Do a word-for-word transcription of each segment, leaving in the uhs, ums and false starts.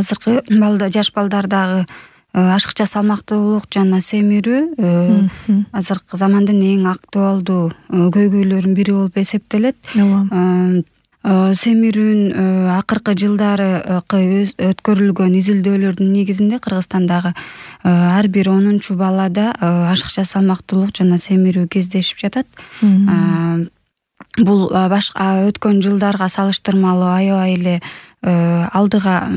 азыркы балда жаш балдардагы ашыкча салмактуулук жана семирүү азыркы замандын эң актуалдуу көйгөйлөрүнүн бири болуп эсептелет. Семирүүнүн акыркы жылдары өткөрүлгөн изилдөөлөрдүн негизинде Кыргызстандагы ар бир онунчу балада ашыкча салмактуулук жана семирүү кездешип жатат. Бул башка өткөн жылдарга салыштырмалуу аябай эле алдыга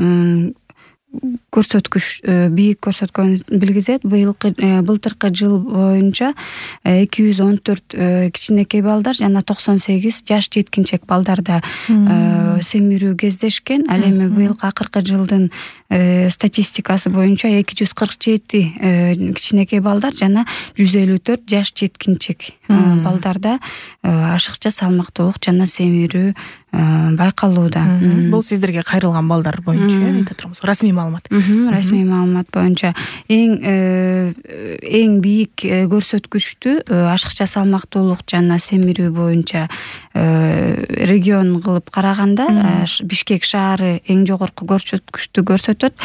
көрсөткүч бийик көрсөткөнүн билгизет. Быйылкы былтыркы жыл боюнча эки жүз он төрт кичинекей балдар жана токсон сегиз жаш жеткинчек балдарда семирүү кездешкен. Ал эми быйылкы акыркы жылдын статистикасы боюнча эки жүз кырк жети кичинекей балдар жана жүз элүү төрт жаш жеткинчек балдарда ашыкча салмактуулук жана семирүү байкалууда. Бул сиздерге кайрылган балдар боюнча айта турабыз. Расмий маалымат. Расмий маалымат боюнча эң эң бийик көрсөткүчтү ашыкча салмактуулук жана семирүү боюнча регион кылып караганда Бишкек шаары эң жогорку көрсөткүчтү көрсөтөт.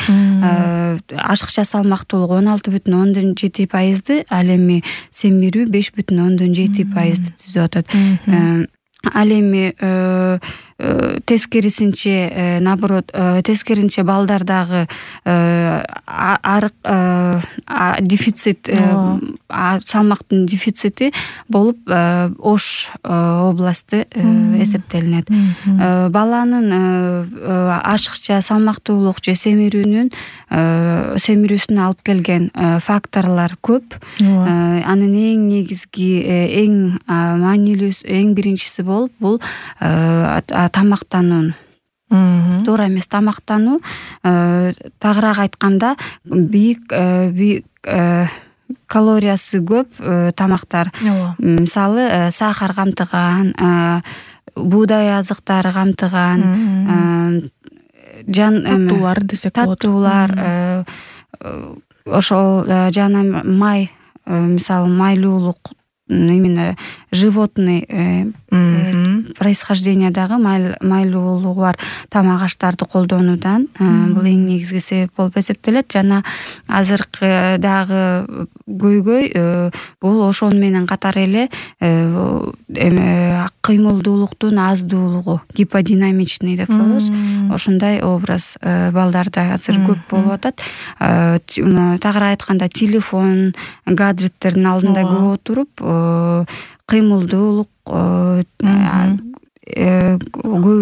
Ашыкча салмактуулук он алты бүтүн ондон жети пайызды, ал эми семирүү беш бүтүн ондон жети пайызды түзүп атат. Ал эми тескерисинче наоборот тескерисинче балдардагы арык дефицит салмактын дефицити болуп Ош областы эсептелинет. Баланын ашыкча салмактуулук же семирүүнүн семирүүсүнө алып келген факторлор көп. Анын эң негизги эң маанилүүсү эң биринчиси болуп бул тамактануу. Туура эмес тамактануу. Тагыраак айтканда бийик бийик калориясы көп тамактар. Мисалы сахар камтыган, буудай азыктары камтыган, жан таттуулар десек болот. Таттуулар, ошол жана май, мисалы майлуулук, именно животный происхождениядагы майлуулугу бар тамак аштарды колдонуудан бул эң негизги себеп болуп эсептелет. Жана азыркыдагы көйгөй бул ошону менен катар эле кыймылдуулуктун аздуулугу, гиподинамичный деп коебуз. Ошондой образ балдарда азыр көп болуп атат. Тагыраак айтканда телефон, гаджеттердин алдында көп отуруп кыймылдуулук көп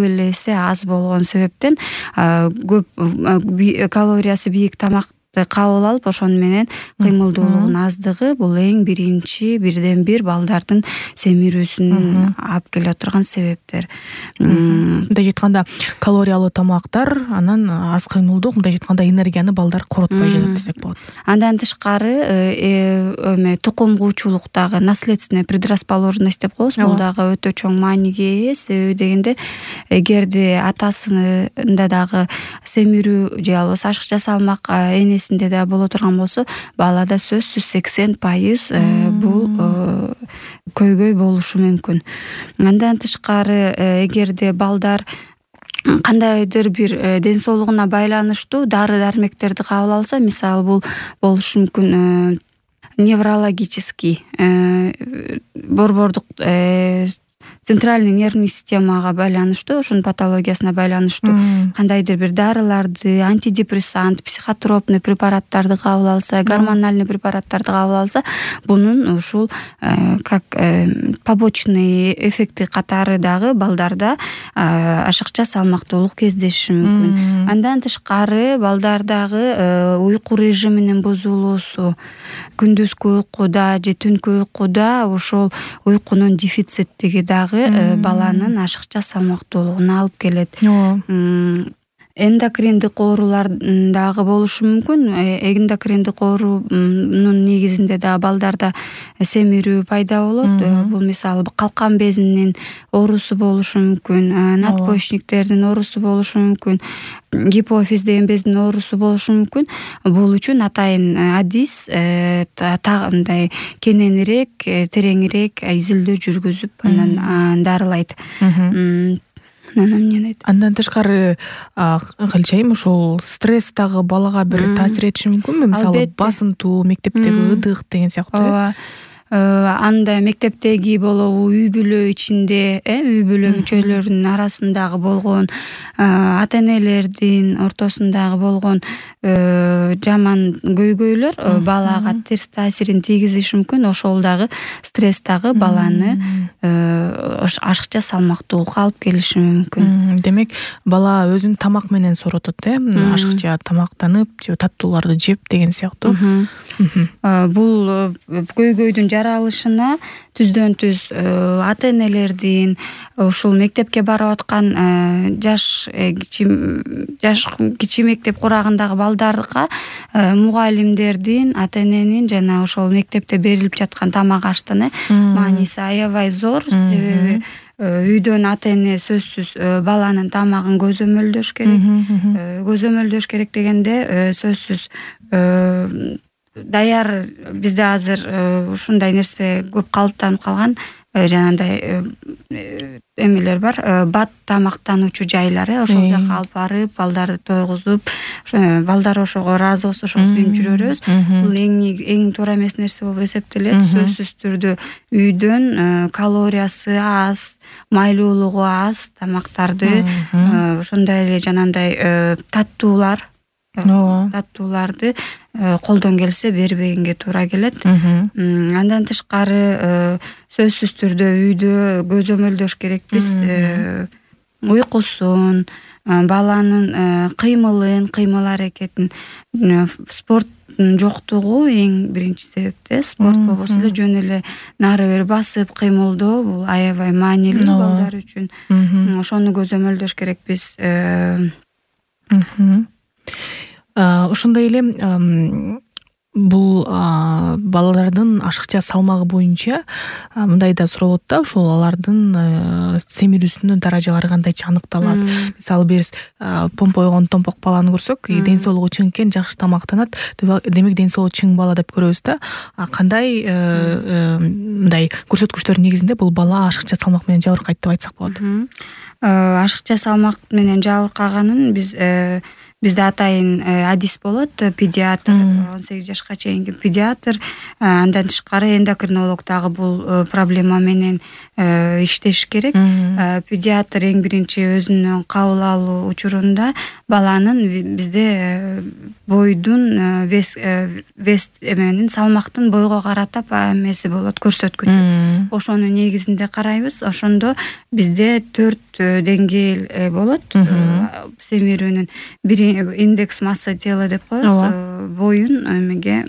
эле эсе аз болгон себептен көп калориясы бийик тамакты кабыл алып ошону менен кыймылдуулугунун аздыгы бул эң биринчи бирден бир балдардын семирүүсүн алып келе турган себептер. Мындай айтканда калориялуу тамактар, анан аз кыймылдуулук, мындай айтканда энергияны балдар коротпой жатат десек болот. Андан тышкары эме тукум куучулуктагы наследственная предрасположенность деп коебуз. Бул дагы өтө чоң мааниге ээ. Себеби дегенде эгерде атасында дагы семирүү же албаса ашыкча салмак энесинде да боло турган болсо, балада сөзсүз сексен пайыз бул көйгөй болушу мүмкүн. Андан тышкары эгерде балдар кандайдыр бир ден соолугуна байланыштуу дары дармектерди кабыл алса, мисалы бул болушу мүмкүн неврологический, борбордук центральный нервный системага байланыштуу, ошонун патологиясына байланыштуу кандайдыр бир дарыларды, антидепрессант, психотропный препараттарды кабыл алса, гормональный препараттарды кабыл алса, бунун ушул как побочный эффекти катары дагы балдарда ашыкча салмактуулук кездеши мүмкүн. Андан тышкары балдардагы уйку режиминин бузулуусу, күндүзкү уйкуда же түнкү уйкуда ошол уйкунун дефициттиги дагы баланын ашыкча салмактуулугуна алып келет. Эндокриндик оорулар дагы болушу мүмкүн. Эндокриндик оорунун негизинде дагы балдарда семирүү пайда болот. Бул мисалы калкан безинин оорусу болушу мүмкүн, надпочечниктердин оорусу болушу мүмкүн, гипофиз деген бездин оорусу болушу мүмкүн. Бул үчүн атайын адис мындай кененирээк, тереңирээк изилдөө жүргүзүп анан дарылайт. анан эмнени айтат? Андан тышкары кылчайым ушул стресс дагы балага бир таасир этиши мүмкүнбү? Мисалы басынтуу, мектептеги ыдык деген сыяктуу. Ооба. Анда мектептеги болобу, үй бүлө ичинде, э, үй бүлө мүчөлөрүнүн арасындагы болгон ата-энелердин ортосундагы болгон жаман көйгөйлөр балага терс таасирин тийгизиши мүмкүн. Ошол дагы стресс дагы баланы ашыкча салмактуулукка алып келиши мүмкүн. Демек, бала өзүн тамак менен сооротот, э? Ашыкча тамактанып, же таттууларды жеп деген сыяктуу. Бул көйгөйдүн жаралышына түздөн түз ата-энелердин, ушул мектепке барып аткан жаш жаш кичи мектеп курагындагы балдарга мугалимдердин, ата-эненин жана ошол мектепте берилип жаткан тамак аштын мааниси аябай зор. Себеби үйдөн ата-эне сөзсүз баланын тамагын көзөмөлдөш керек. Көзөмөлдөш керек дегенде сөзсүз даяр бизде азыр ушундай нерсе көп калыптанып калган, жанагындай эмелер бар, бат тамактануучу жайлар, ошол жака алып барып, балдарды тойгузуп, балдар ошого ыраазы болсо ошого сүйүнүп жүрөбүз. Бул эң эң туура эмес нерсе болуп эсептелет. Сөзсүз түрдө үйдөн калориясы аз, майлуулугу аз тамактарды, ошондой эле жанагындай таттуулар таттууларды колдон келсе бербегенге туура келет. Андан тышкары сөзсүз түрдө үйдө көзөмөлдөш керекпиз. Уйкусун, баланын кыймылын, кыймыл аракетин, спорттун жоктугу эң биринчи себеп. Спорт болбосо эле жөн эле нары бери басып кыймылдоо бул аябай маанилүү балдар үчүн. Ошону көзөмөлдөш керекпиз. Ошондой эле бул балалардын ашыкча салмагы боюнча мындай да суралат да, ушул алардын семирүүсүнүн даражалары кандайча аныкталат. Мисалы биз помпойгон томпок баланы көрсөк, ден соолугу чың экен, жакшы тамактанат, демек ден соолугу чың бала деп көрөбүз да. Кандай мындай көрсөткүчтөр негизинде бул бала ашыкча салмак менен жабыркайт деп айтсак болот? Ашыкча салмак менен жабыркаганын биз Бизде атайын адис болот, педиатр, он сегиз жашка чейинки педиатр, андан тышкары эндокринолог дагы бул проблема менен иштеш керек. Педиатр эң биринчи өзүнүн кабыл алуу учурунда баланын бизде бойдун вес вес эменин салмактын бойго карата эмеси болот, көрсөткүчү. Ошонун негизинде карайбыз. Ошондо бизде төрт деңгээл болот. Семирүүнүн бир индекс масса тела деп коебуз. Боюн эмеге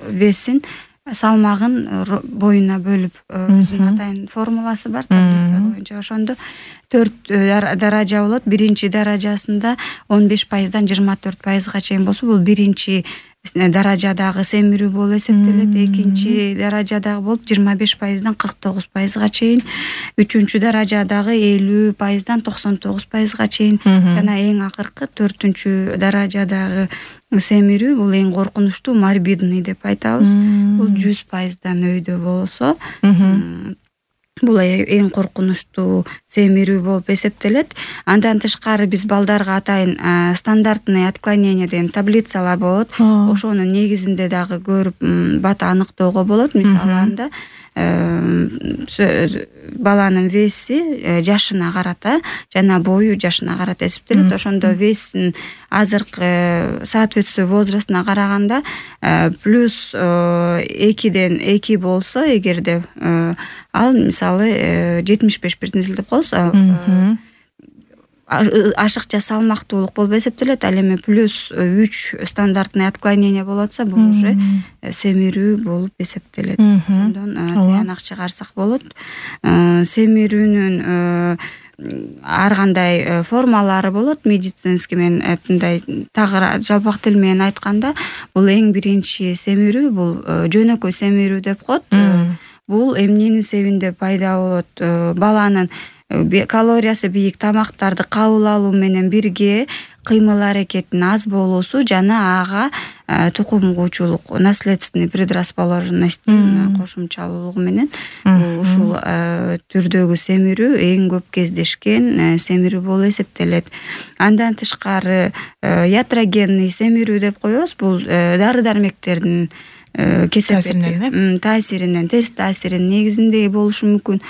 весин, салмагын боюна бөлүп өзүнүн атайын формуласы бар, таблица боюнча. Ошондо төрт даража болот. Биринчи даражасында он беш пайыздан жыйырма төрт пайызга чейин болсо, бул биринчи даражадагы семирүү болуп эсептелет. Экинчи даражадагы болуп жыйырма беш пайыздан кырк тогуз пайызга чейин, үчүнчү даражадагы элүү пайыздан токсон тогуз пайызга чейин, жана эң акыркы төртүнчү даражадагы семирүү, бул эң коркунучтуу, морбидный деп айтабыз. Бул жүз пайыздан өйдө болсо, бул эң коркунучтуу семирүү болуп эсептелет. Андан тышкары биз балдарга атайын стандартный отклонение деген таблицалар болот. Ошонун негизинде дагы көрүп бат аныктоого болот. Мисалы анда баланын веси жашына карата жана бою жашына карата эсептелет. Ошондо весин азыркы соответствие возрастына караганда плюс экиден эки болсо, эгерде ал мисалы жетимиш беш процент деп коебуз, ашыкча салмактуулук болуп эсептелет. Ал эми плюс үч стандартный отклонение болуп атса, бул уже семирүү болуп эсептелет. Ошондон тыянак чыгарсак болот. Семирүүнүн ар кандай формалары болот. Медицинский менен мындай тагыра жалпак тил менен айтканда, бул эң биринчи семирүү, бул жөнөкөй семирүү деп коет. Бул эмненин себебинде пайда болот? Баланын калориясы бийик тамактарды кабыл алуу менен бирге кыймыл аракеттин аз болуусу жана ага тукум куучулук, наследственный предрасположенностьтин кошумчалуулугу менен ушул түрдөгү семирүү эң көп кездешкен семирүү болуп эсептелет. Андан тышкары ятрогенный семирүү деп коебуз. Бул дары-дармектердин кесепети таасиринен, терс таасиринин негизинде болушу мүмкүн.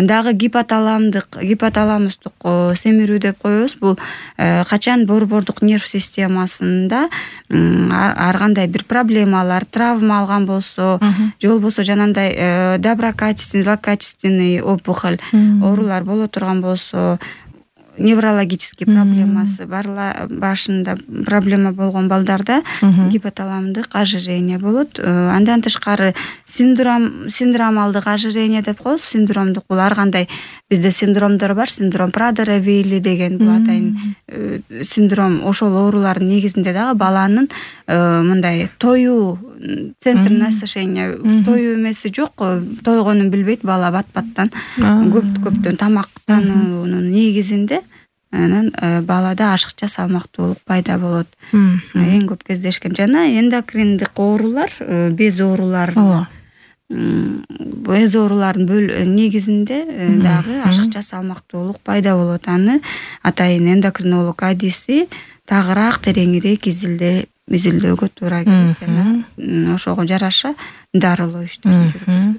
Дагы гипоталамдык, гипоталамустук семирүү деп коебуз. Бул качан борбордук нерв системасында ар кандай бир проблемалар, травма алган болсо, же болбосо жанагындай доброкачественный, злокачественный опухоль оорулар боло турган болсо, неврологический проблемасы барла башында проблема болгон балдарда гипоталамдык ожирение болот. Андан тышкары синдром синдромалдык ожирение деп коебуз. Синдромдук бул ар кандай бизде синдромдор бар. Синдром Прадера-Вилли деген бул атайын синдром. Ошол оорулардын негизинде дагы баланын мындай тоюу центр насыщения тоюу эмеси жок, тойгонун билбейт бала бат-баттан көп-көптөн тамактануунун негизинде анан балада ашыкча салмактуулук пайда болот. Эң көп кездешкен жана эндокриндик оорулар, без оорулары. Без оорулардын негизинде дагы ашыкча салмактуулук пайда болот. Аны атайын эндокринолог адиси тагыраак тереңирээк изилде изилдөөгө туура келет жана ошого жараша дарылоо иштерин жүргүзөт.